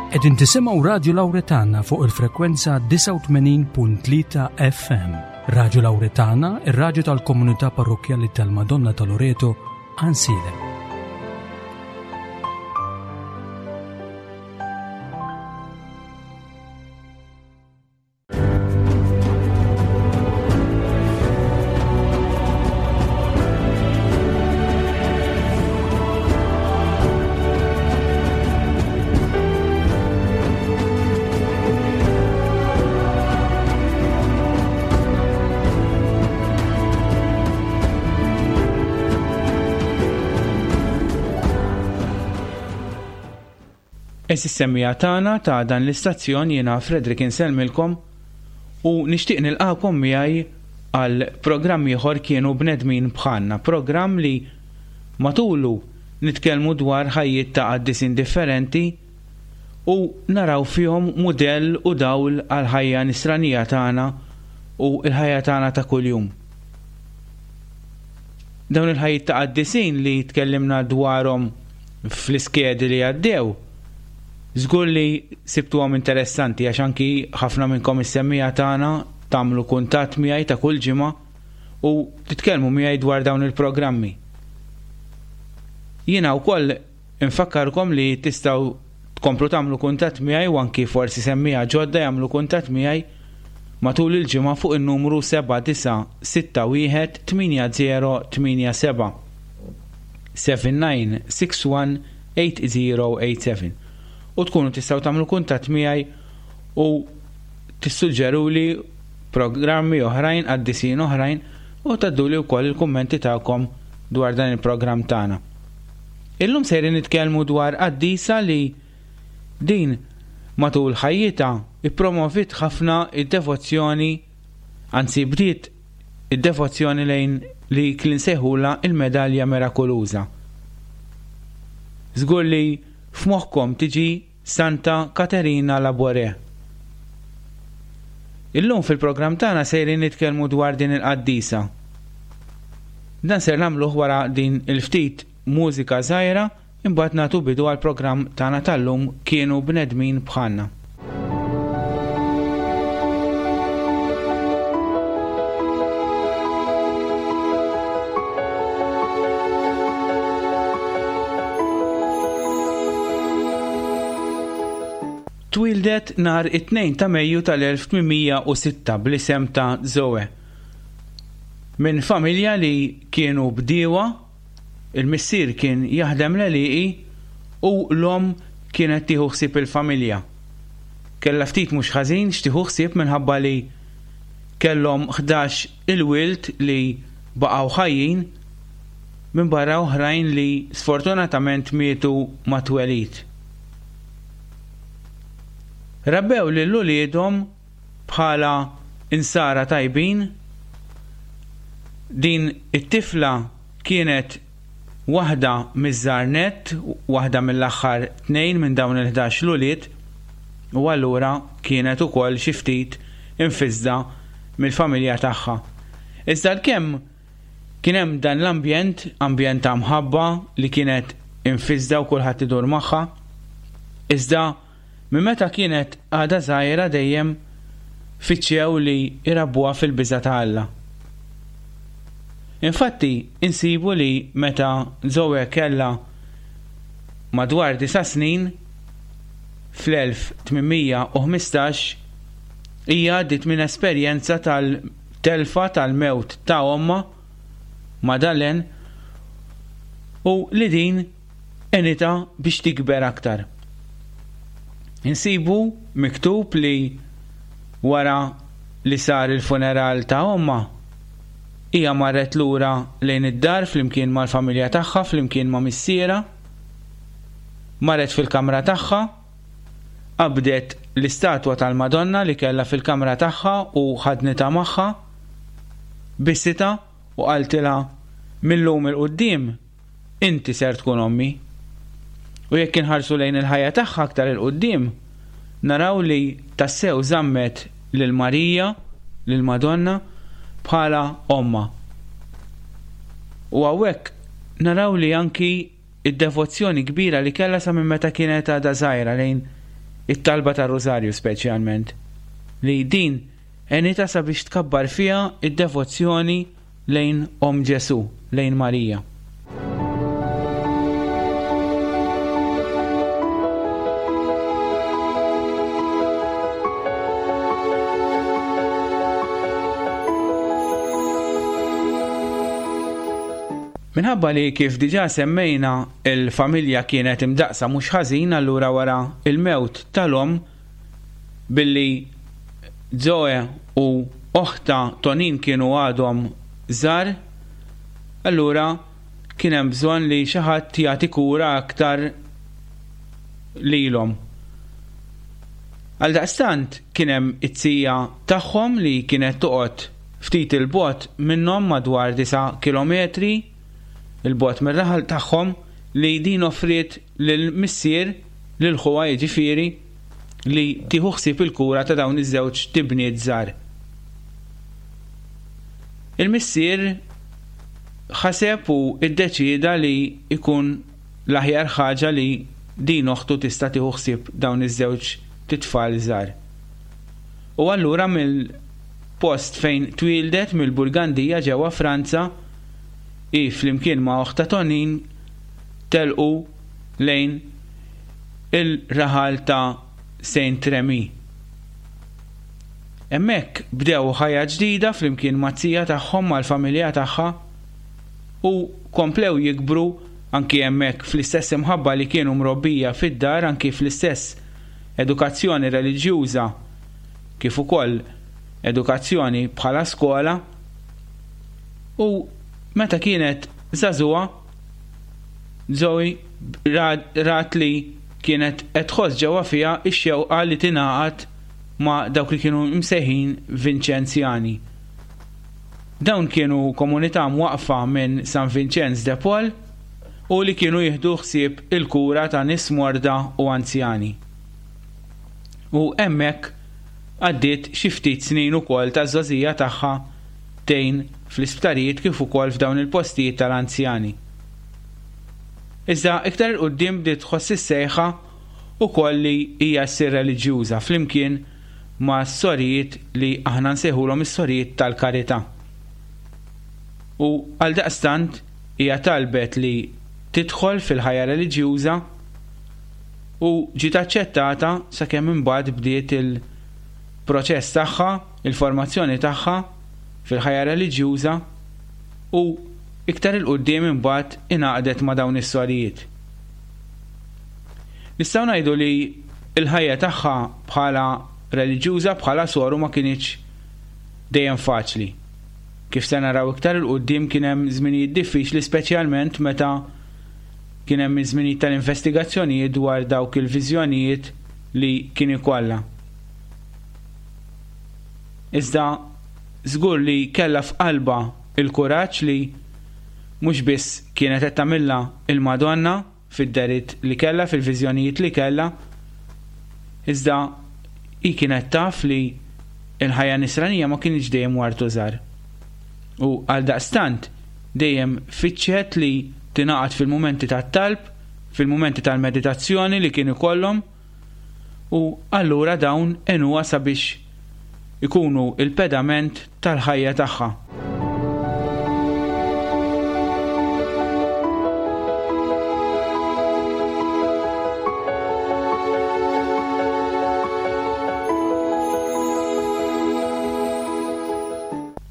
Qegħdin tisimgħu Radju Lawretana fuq il-frekwenza 89.3 FM. Radju Lawretana, ir-radju tal-komunità parrokkjali tal-Madonna ta' Loreto, Għansielem. Għeżież semmiegħa tagħna ta' dan l-istazzjon jiena Frederick insellmilkom u nixtieq nilqagħkom miegħi għal programm ieħor Kienu Bnedmin Bħalna, programm li matulu nitkellmu dwar ħajjiet ta' qaddisin differenti u naraw fihom mudell u dawl għall-ħajja nisranija tagħna u l-ħajja tagħna ta' kuljum. Dawn il-ħajjiet ta' qaddisin li tkellimna dwarhom fl-iskedi li għaddew, żgur li sibtuhom interessanti għax anki ħafna minnkom is-semmiegħa tagħna tagħmlu kuntatt miegħi ta' kull ġimgħa u titkellmu miegħi dwar dawn il-programmi. Jiena wkoll infakkarkom li tistgħu tkomplu tagħmlu kuntatt miegħi u anki forsi semmiegħa ġodda jagħmlu kuntatt miegħi matul il-ġimgħa fuq in-numru 7961 8087. 7961 8087 u tkunu tistgħu tagħmlu kuntatt miegħi u tissuġġeruli programmi oħrajn, qaddisin oħrajn u tgħadduli wkoll il-kummenti tagħkom dwar dan il-programm tagħna. Illum sejrin nitkellmu dwar qaddisa li din matul ħajjitha ippromovit ħafna id-devozzjoni, anzi bdiet id-devozzjoni lejn li li nsejħulha il-medalja mirakoluża. Żgur li f'moħħkom tiġi Santa Katerina Labouré. Illum fil-programm tagħna sejrin nitkellmu dwar din il-qaddisa. Dan ser nagħmluh wara din il-ftit mużika żgħira imbagħad nagħtu bidu għall-programm tagħna tal-lum Kienu Bnedmin Bħalna. Twieldet nhar it-Tnejn ta' Mejju tal-1806 bl-isem ta' Zoe. Minn familja li kienu bdiewa, il-missier kien jaħdem l-għelieqi u l-omm kienet tieħu ħsieb il-familja. Kellha ftit mhux ħażin x'tieħu ħsieb minħabba li kellhom 11 il-wild li baqgħu ħajjin minbarra oħrajn li sfortunatament mietu mat-twelid. Rabbew lil uliedhom bħala Insara tajbin. Din it-tifla kienet waħda miż-żgħar nett, waħda mill-aħħar tnejn minn dawn il-ħdax l-ulied, u allura kienet ukoll xi ftit imfissda mill-familja tagħha. Iżda għalkemm Kien hemm dan l-ambjent, ambjent ta' mħabba li kienet imfissda u kulħadd idur magħha. Iżda minn meta kienet għadha żgħira dejjem fittxew li jrabbuha fil-biża' ta' Alla. Infatti, insibu li meta Zoe kellha madwar disa' snin, fl-1815, hija għaddiet minn esperjenza tal telfa tal-mewt ta' ommha, Madalene, u li din għenitha biex tikber aktar. Insibu miktub li wara li sar il-funeral ta' ommha, hija marret lura lejn id-dar flimkien mal-familja tagħha flimkien ma' missierha, marret fil-kamra tagħha, Qabdet l-istatwa tal-Madonna li kellha fil-kamra tagħha u ħadnitha magħha, bisitha u qaltilha, Mil-lum 'il quddiem, inti ser tkun ommi. U jekk inħarsu lejn il-ħajja tagħha aktar 'il quddiem, naraw li tassew żammet lil Marija, lill-Madonna, bħala ommha. U hawnhekk naraw li anki id-devozzjoni kbira li kellha sa minn meta kienet għadha żgħira lejn It-talba tar-Rużarju speċjalment, li din għenitha sabiex tkabbar fiha d-devozzjoni lejn Omm Ġesù, lejn Marija. Minħabba li kif diġà semmejna il-familja kienet imdaqqsa mhux ħażin allura wara il-mewt tal-omm billi Zoe u oħtha Tonin kienu għadhom żgħar, allura kien hemm bżonn li xi ħadd jagħti kura aktar lilhom. Għaldaqstant kien hemm it-tija tagħhom li kienet toqgħod ftit 'il bogħod minnhom madwar disa' kilometri 'il bogħod mir-raħal tagħhom li din offriet lill-missier, lil ħuha jiġifieri, li tieħu ħsieb il-kura ta' dawn iż-żewġ tibniet żgħar. Il-missier ħaseb u iddeċieda li jkun l-aħjar ħaġa li din oħtu tista' tieħu ħsieb dawn iż-żewġ titfal żgħar. U allura mill-post fejn twieldet mill-Burgandija ġewwa Franza, hi flimkien ma' oħtha Tonin telqu lejn il-raħal ta' Saint Remy. Hemmhekk bdew ħajja ġdida flimkien maz-zija tagħhom mal-familja tagħha u komplew jikbru anki hemmhekk fl-istess imħabba li kienu mrobbija fid-dar anki fl-istess edukazzjoni reliġjuża kif ukoll edukazzjoni bħala skola u meta kienet żagħżugħa Zoe rat li kienet qed tħoss ġewwa fiha x-xewqa li tingħaqad ma' dawk li kienu msejħin Vinċenzjani. Dawn kienu komunità mwaqqfa minn San Vinċenz de Paul u li kienu jieħdu ħsieb il-kura ta' nies morda u anzjani. U hemmhekk għaddiet xi ftit snin ukoll taż-żgħożija tagħha tgħin fl-isptarijiet kif ukoll f'dawn il-postijiet tal-anzjani. Iżda iktar 'il quddiem bdiet tħoss is-sejħa ukoll li hija ssir reliġjuża flimkien ma' sorijiet li aħna nsejħulhom is-sorijiet tal-karità. U għaldaqstant hija talbet li tidħol fil-ħajja reliġjuża u ġiet aċċettata sakemm imbagħad bdiet il-proċess tagħha, il-formazzjoni tagħha fil-ħajja reliġjuża u iktar 'il quddiem imbagħad ingħaqdet ma' dawn is-sorijiet. Nistgħu ngħidu li l-ħajja tagħha bħala reliġjuża, bħala soru ma kinitx dejjem faċli. Kif se naraw iktar 'il quddiem kien hemm żminijiet diffiċli speċjalment meta kien hemm iż-żminijiet tal-investigazzjonijiet dwar dawk il-viżjonijiet li kien ikollha. Iżda żgur li kellha f'qalbha l-kuraġġ li mhux biss kienet qed tagħmilha l-Madonna fid-dehriet li kellha, fil-viżjonijiet li kellha, iżda hi kienet taf li l-ħajja nisranija ma kinitx dejjem ward u żgħar. U għaldaqstant dejjem fittxet li tingħaqad fil-mumenti tat-talb, fil-mumenti tal-meditazzjoni li kien ikollhom, u allura dawn għenuha sabiex ikunu l-pedament tal-ħajja tagħha.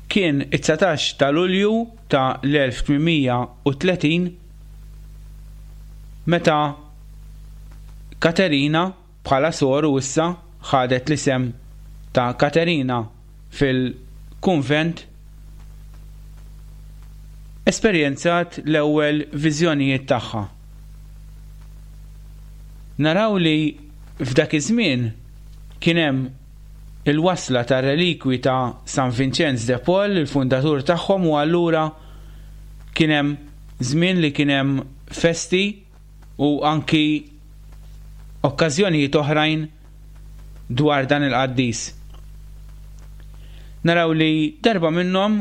Kien it-19 ta' Lulju ta' l-1830 meta Katerina bħala soru issa ħadet l-isem ta' Katerina fil-kunvent esperjenzat l-ewwel viżjonijiet tagħha. Naraw li f'dak iż-żmien kien hemm il-wasla tar-relikwi ta' San Vinċenz de Paul, il-fundatur tagħhom u allura kien hemm żmien li kien hemm festi u anki okkażjonijiet oħrajn dwar dan il-qaddis. Naraw li darba minnhom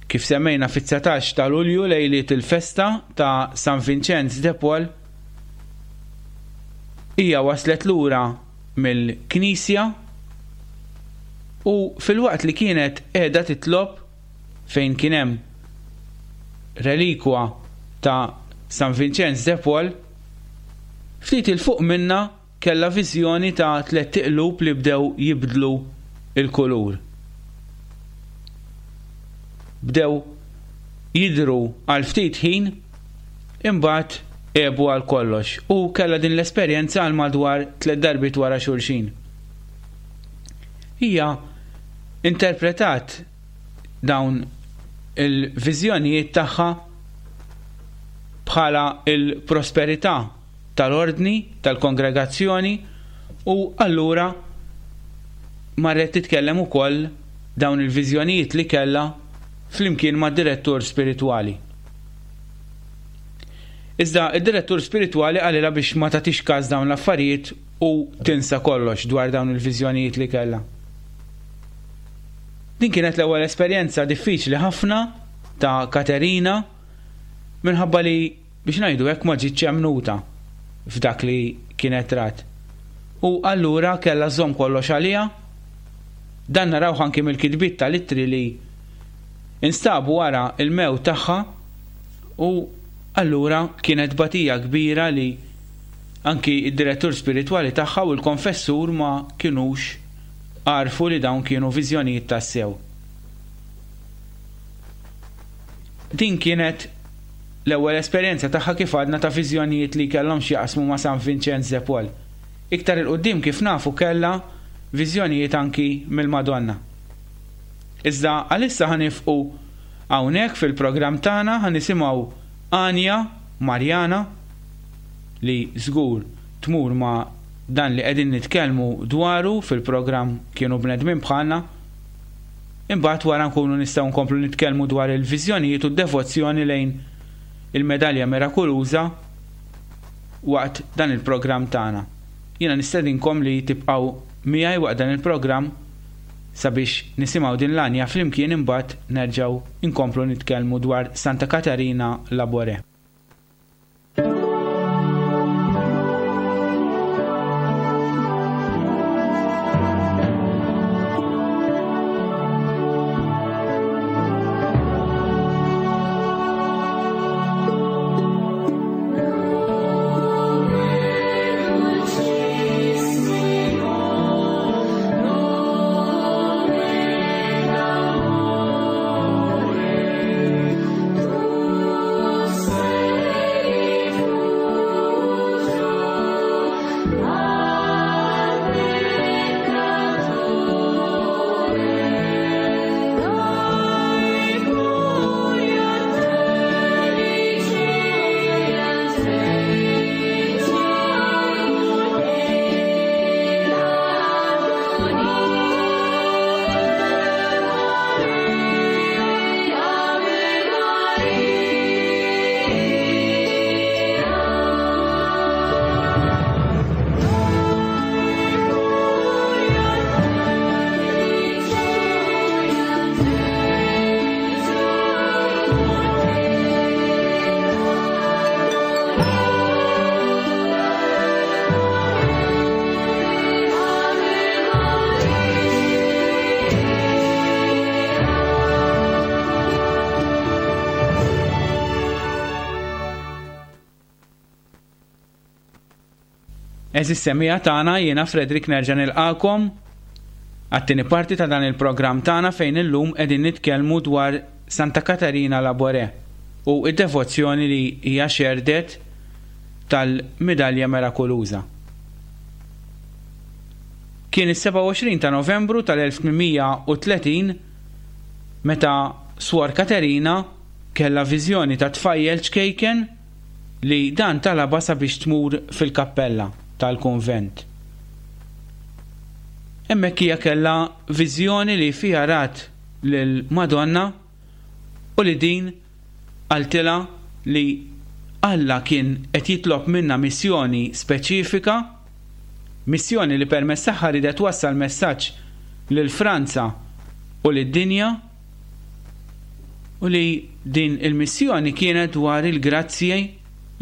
kif semmejna fit-19 ta' Lulju lejliet il-festa ta' San Vinċenz de Paul hija waslet lura mill-knisja u filwaqt li kienet qiegħda titlob fejn kien hemm relikwa ta' San Vinċenz de Paul, ftit 'il fuq minnha kellha viżjoni ta' tlett iqlub li bdew jibdlu l-kulur. Bdew jidhru għal ftit ħin imbagħad għebu għal kollox u kellha din l-esperjenza għal madwar tlett darbiet wara xulxin. Hija interpretat dawn il-viżjonijiet tagħha bħala l-prosperità tal-ordni tal-kongregazzjoni u allura marret titkellem ukoll dawn il-viżjonijiet li kellha flimkien mad-direttur spiritwali. Iżda id-direttur spiritwali qalilha biex ma tagħtix każ dawn l-affarijiet u tinsa kollox dwar dawn il-viżjonijiet li kellha. Din kienet l-ewwel esperjenza diffiċli ħafna ta' Katerina minħabba li biex ngħidu hekk ma ġietx emmnuta f'dak li kienet rat. U allura kellha żżomm kollox għaliha. Dan narawh anki mill-kitbiet tal-ittri li instabu wara l-mewt tagħha u allura kienet tbatija kbira li anki d-direttur spiritwali tagħha u l-konfessur ma kinux għarfu li dawn kienu viżjonijiet tassew. Din kienet l-ewwel esperjenza tagħha kif għadna ta' viżjonijiet li kellhom x'jaqsmu ma' San Vinċenz de Paul. Iktar 'il quddiem kif nafu kellha viżjonijiet anki mill-Madonna. Iżda għalissa ħa nifqu hawnhekk fil-programm tagħna ħa nisimgħu għanja Marjana li żgur tmur ma' dan li qegħdin nitkellmu dwaru fil-programm Kienu Bnedmin Bħalna. Imbagħad wara nkunu nistgħu nkomplu nitkellmu dwar il-viżjonijiet u d-devozzjoni lejn il-Medalja Mirakuluża waqt dan il-programm tagħna. Jiena nistedinkom li tibqgħu miegħi waqt dan il-programm sabiex nisimgħu din l-għanja flimkien imbagħad nerġgħu nkomplu nitkellmu dwar Santa Katarina Labouré. Għeżież semmiegħa tagħna, jiena Frederick nerġa' nilqagħkom għat-tieni parti ta' dan il-programm tagħna fejn illum qegħdin nitkellmu dwar Santa Katarina Labouré u d-devozzjoni li hija xerrdet tal-Midalja Mirakoluża. Kien is-27 ta' Novembru tal-1830 meta Swor Katerina kellha viżjoni ta' tfajjel ċkejken li dan talabha sabiex tmur fil-kappella tal-kunvent. Hemmhekk hija kellha viżjoni li fiha rat lill-Madonna u li din qaltilha li Alla kien qed jitlob minnha missjoni speċifika, missjoni li permezz tagħha riedet twassal messaġġ lil Franza u lid-dinja u li din il-missjoni kienet dwar il-grazzji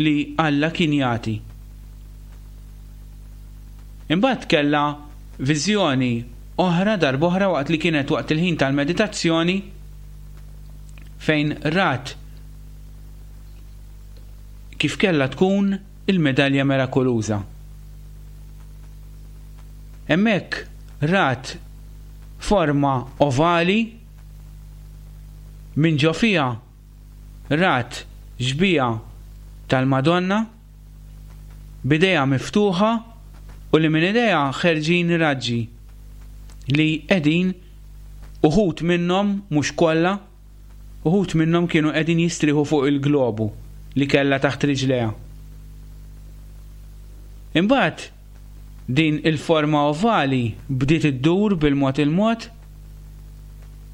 li Alla kien jagħti. Imbagħad kellha viżjoni oħra darb'oħra waqt li kienet waqt il-ħin tal-meditazzjoni fejn rat kif kellha tkun il-medalja merakoluża. Hemmhekk rat forma ovali minn ġo fiha rat xbieha tal-Madonna b'idejha miftuħa u li minn idejha ħerġin raġġi li qegħdin uħud minnhom, mhux kollha, uħud minnhom kienu qegħdin jistrieħu fuq il-globu li kellha taħt riġlejha. Imbagħad din il-forma ovali bdiet iddur bil-mod il-mod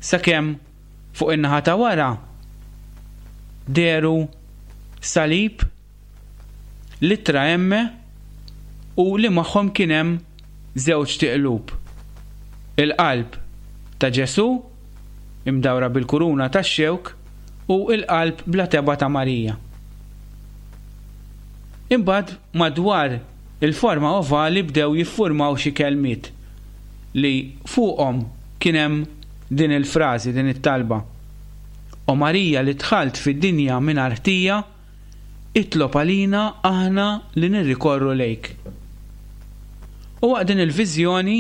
sakemm fuq in-naħa ta' wara dehru salib, l-ittra M u li magħhom kien hemm żewġt iqlub, il-qalb ta' Ġesù imdawra bil-kuruna tax-xewk u l-qalb bla tebgħa ta' Marija. Imbagħad madwar il-forma ovali bdew jiffurmaw xi kelmiet li fuqhom kien hemm din il-frażi, din it-talba, O Marija li dħalt fid-dinja mingħajr ħtija, itlob għalina aħna li nirrikorru lejk. U waqt din il-viżjoni,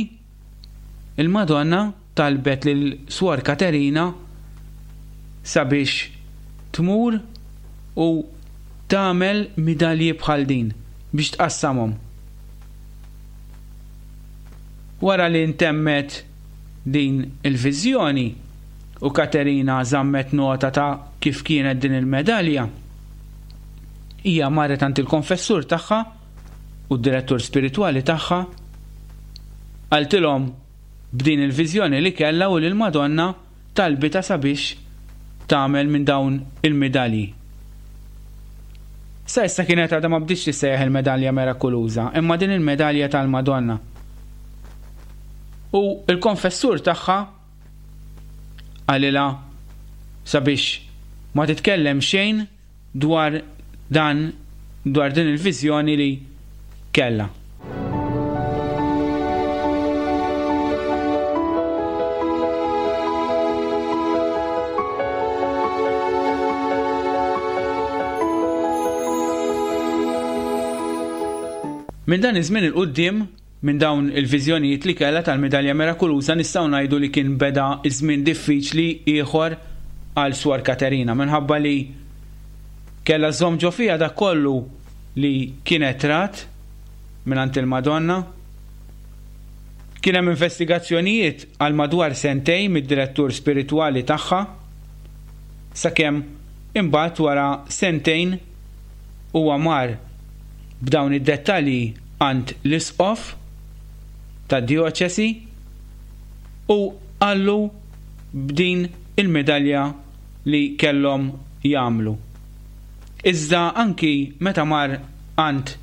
il-Madonna talbet lil Swor Katerina sabiex tmur u tagħmel midalji bħal din biex tqassamhom. Wara li ntemmet din il-viżjoni u Katerina żammet nota ta' kif kienet din il-medalja, hija marret għand il-konfessur tagħha u d-direttur spiritwali tagħha, qaltilhom b'din il-viżjoni li kellha u li l-Madonna talbitha sabiex tagħmel minn dawn il-midalji. Sa issa kienet għadha ma bdietx tissejjaħ il-medalja merakuluża, imma din il-medalja tal-Madonna. U l-konfessur tagħha qalilha sabiex ma titkellem xejn dwar dan dwar din il-viżjoni li kellha. Minn dan iż-żmien 'il quddiem, minn dawn il-viżjonijiet li kellha tal-Midalja Mirakuluża nistgħu ngħidu li kien beda żmien diffiċli ieħor għal Swor Katerina minħabba li kellha żżomm ġo fiha dak kollu li kienet rat mingħand il-Madonna. Kien hemm investigazzjonijiet għal madwar sentejn mid-direttur spiritwali tagħha sakemm imbagħad wara sentejn huwa mar b'dawn id-dettalji għand l-isqof tad-djoċesi u qallu b'din il-midalja li kellhom jagħmlu. Iżda anki meta mar għand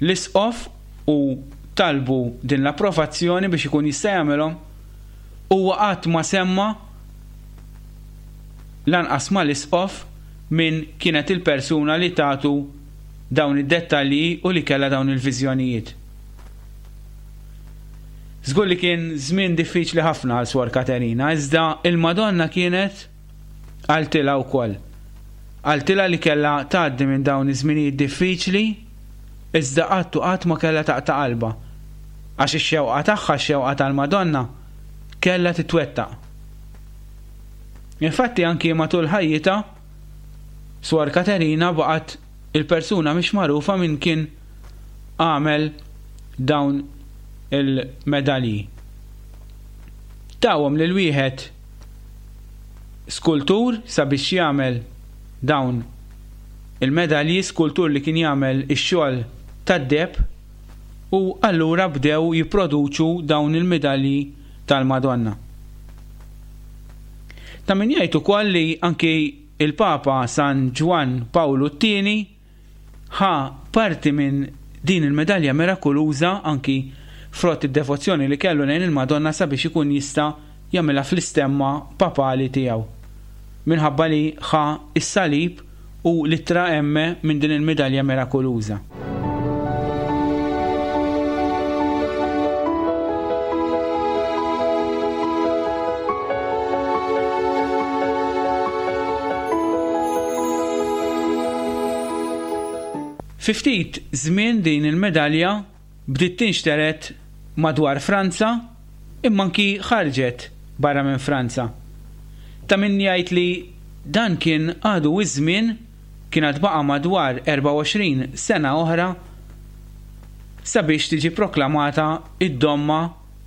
l-isqof u talbu din l-approvazzjoni biex ikun jista' jagħmilhom, huwa qatt ma semma lanqas mal-isqof min kienet il-persuna li tatu dawn id-dettalji u li kellha dawn il-viżjonijiet. Żgur li kien żmien diffiċli ħafna għal Swor Katerina, iżda il-Madonna kienet qaltilha wkoll. Qaltilha li kellha tgħaddi minn dawn iż-żminijiet diffiċli, iżda qatt u qatt ma kellha taqta' qalbha, għax ix-xewqa tagħha, x-xewqa tal-Madonna, kellha titwettaq. Infatti anki matul ħajjitha, Swor Katerina baqgħet il-persuna mhix magħrufa min kien għamel dawn il-medalji. Tawhom lil wieħed skultur sabiex jagħmel dawn il-medalji, skultur li kien jagħmel ix-xogħol tad-deheb u allura bdew jipproduċu dawn il-medalji tal-Madonna. Ta' min jgħid ukoll li anki il-Papa San Ġwann Pawlu t-Tieni ħa parti minn din il-medalja mirakuluża anki frott id-devozzjoni li kellu lejn il-Madonna sabiex ikun jista' jagħmilha fl-istemma papali tiegħu minħabba li ħa s-salib u l-ittra M minn din il-midalja mirakuluża. Fi ftit żmien din il-medalja bdiet tinxtered madwar Franza imma anki ħarġet barra minn Franza. Ta' min jgħid li dan kien għadu iż-żmien, kien għad baqa' madwar 24 sena oħra sabiex tiġi proklamata d-domma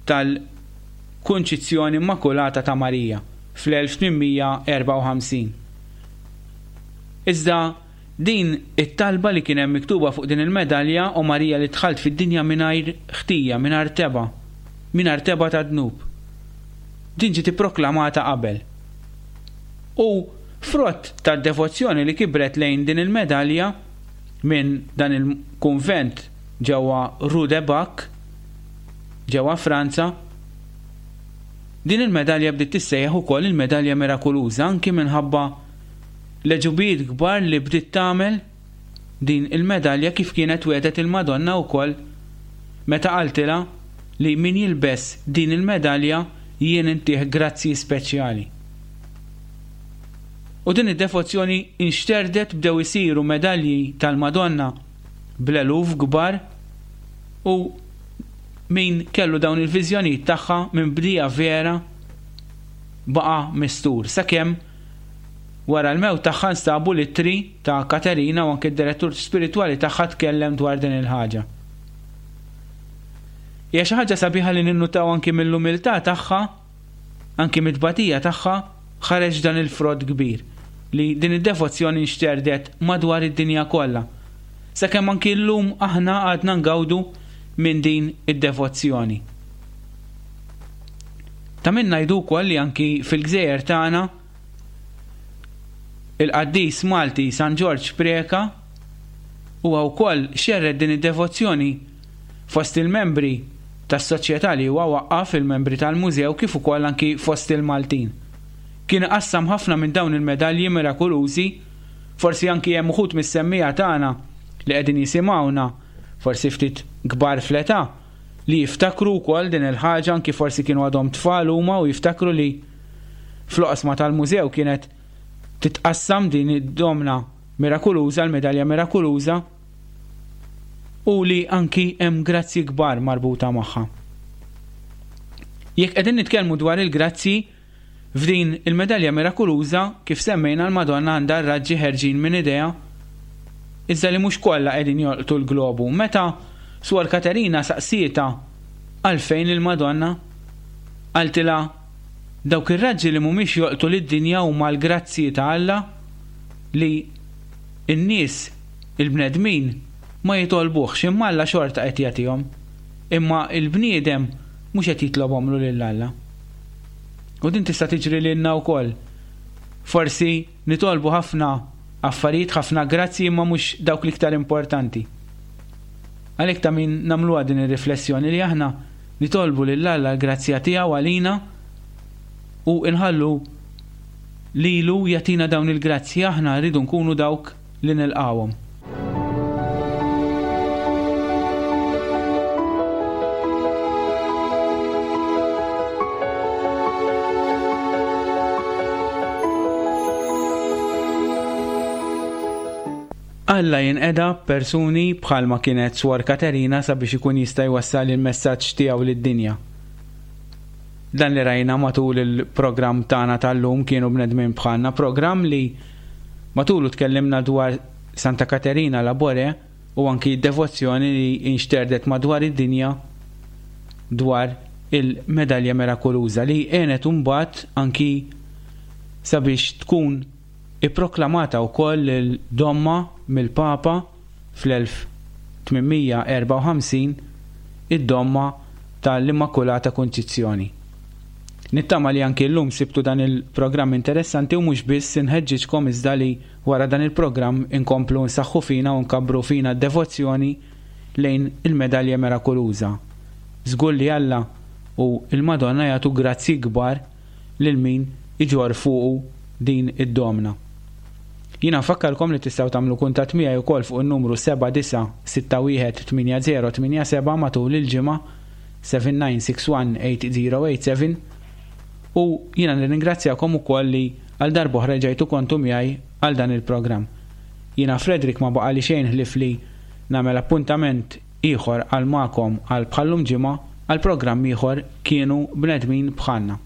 tal-Kunċizzjoni Immakulata ta' Marija fl-1854. Iżda din it-talba li kien hemm miktuba fuq din il-medalja, O Marija li dħalt fid-dinja mingħajr ħtija, mingħajr tebgħa, mingħajr tebgħa ta' dnub. Din ġiet ipproklamata qabel. U frott tad-devozzjoni li kibret lejn din il-medalja minn dan il-kunvent ġewwa Rue de Bac, ġewwa Franza, din il-medalja bdiet tissejjaħ ukoll il-medalja mirakuluża anki minħabba l-għeġubijiet kbar li bdiet tagħmel din il-medalja kif kienet wegħdet il-Madonna wkoll meta qaltilha li min jilbes din il-medalja jien intih grazzji speċjali. U din id-devozzjoni inxterdet bdew isiru medalji tal-Madonna bl-eluf kbar u min kellu dawn il-viżjonijiet tagħha minn bdija vera baqa' mistur sakemm wara l-mewt tagħha nstabu l-ittri ta' Katerina u anke d-direttur spiritwali tagħha tkellem dwar din il-ħaġa. Hija xi ħaġa sabiħa li ninnutaw anki mill-umiltà tagħha, anki mit-tbatija tagħha, ħareġ dan il-frott kbir li din id-devozzjoni nxterdet madwar id-dinja kollha. Sakemm anki llum aħna għadna ngawdu minn din id-devozzjoni. Ta' min ngħidu wkoll li anki fil-gżejjer tagħna il-qaddis Malti San Ġorġ Preca huwa wkoll xerred din id-devozzjoni fost il-membri tas-soċjetà li huwa waqqaf, il-membri tal-mużew kif ukoll anki fost il-Maltin. Kien iqassam ħafna minn dawn il-medalji mirakulużi, forsi anki hemm uħud mis-semmiegħa tagħna li qegħdin jisimgħuna, forsi ftit kbar fl-età, li jiftakru wkoll din il-ħaġa anki forsi kienu għadhom tfal huma u jiftakru li fl-oqsma tal-mużew kienet titqassam din id-domna mirakuluża, l-medalja mirakuluża, u li anki hemm grazzji kbar marbuta magħha. Jekk qegħdin nitkellmu dwar il-grazzji, F'din il-medalja mirakuluża, kif semmejna l-Madonna għandha r-raġġi ħerġin minn idejha, iżda li mhux kollha qegħdin jolqtu l-globu. Meta Suor Katerina saqsietha għalfejn lill-Madonna, qaltilha, Dawk ir-raġġi li mhumiex jolqtu lid-dinja huma l-grazzji ta' Alla li n-nies, il-bnedmin, ma jitolbuhx imma Alla xorta qed jagħtihom. Imma l-bniedem mhux qed jitlobhomlu lil Alla. U din tista' tiġri lilna wkoll. Forsi nitolbu ħafna affarijiet, ħafna grazzji imma mhux dawk l-iktar importanti. Għalhekk ta' min nagħmluha din ir-riflessjoni li aħna nitolbu lil Alla l-grazzja tiegħu għalina u nħallu lilu jagħtina dawn il-grazzji aħna rridu nkunu dawk li nilqgħuhom. Alla jinqeda b'persuni bħalma kienet Swor Katerina sabiex ikun jista' jwassal il-messaġġ tiegħu lid-dinja. Dan li rajna matul il-programm tagħna tal-lum kienu bnedmin bħalna, programm li Matulu tkellimna dwar Santa Katerina Labore u anki d-devozzjoni li inxterdet madwar id-dinja dwar il-medalja mirakoluża li għenet imbagħad anki sabiex tkun ipproklamata wkoll il-domma mill-Papa fl-1854 id-domma tal-Immakulata Kunċizzjoni. Nittama li anki llum sibtu dan il-programm interessanti u mhux biss inħeġġiġkom iżda li wara dan il-programm inkomplu nsaħħu fina u nkabbru fina d-devozzjoni lejn il-Medalja Mirakoluża. Żgur li Alla u l-Madonna jagħtu grazzji kbar lil min iġorr fuqu din id-domna. Jiena nfakkarkom li tistgħu tagħmlu kuntatt miegħi wkoll fuq in-numru 79618087 matul il-ġimgħa 79618087 u jiena nirringrazzjakom ukoll li għal darb'oħra ġejtu kontu miegħi għal dan il-programm. Jiena Frederick ma baqali xejn ħlief li. Nagħmel appuntament ieħor għal magħkom għal bħal-lum ġimgħa għal programm ieħor Kienu Bnedmin Bħalna.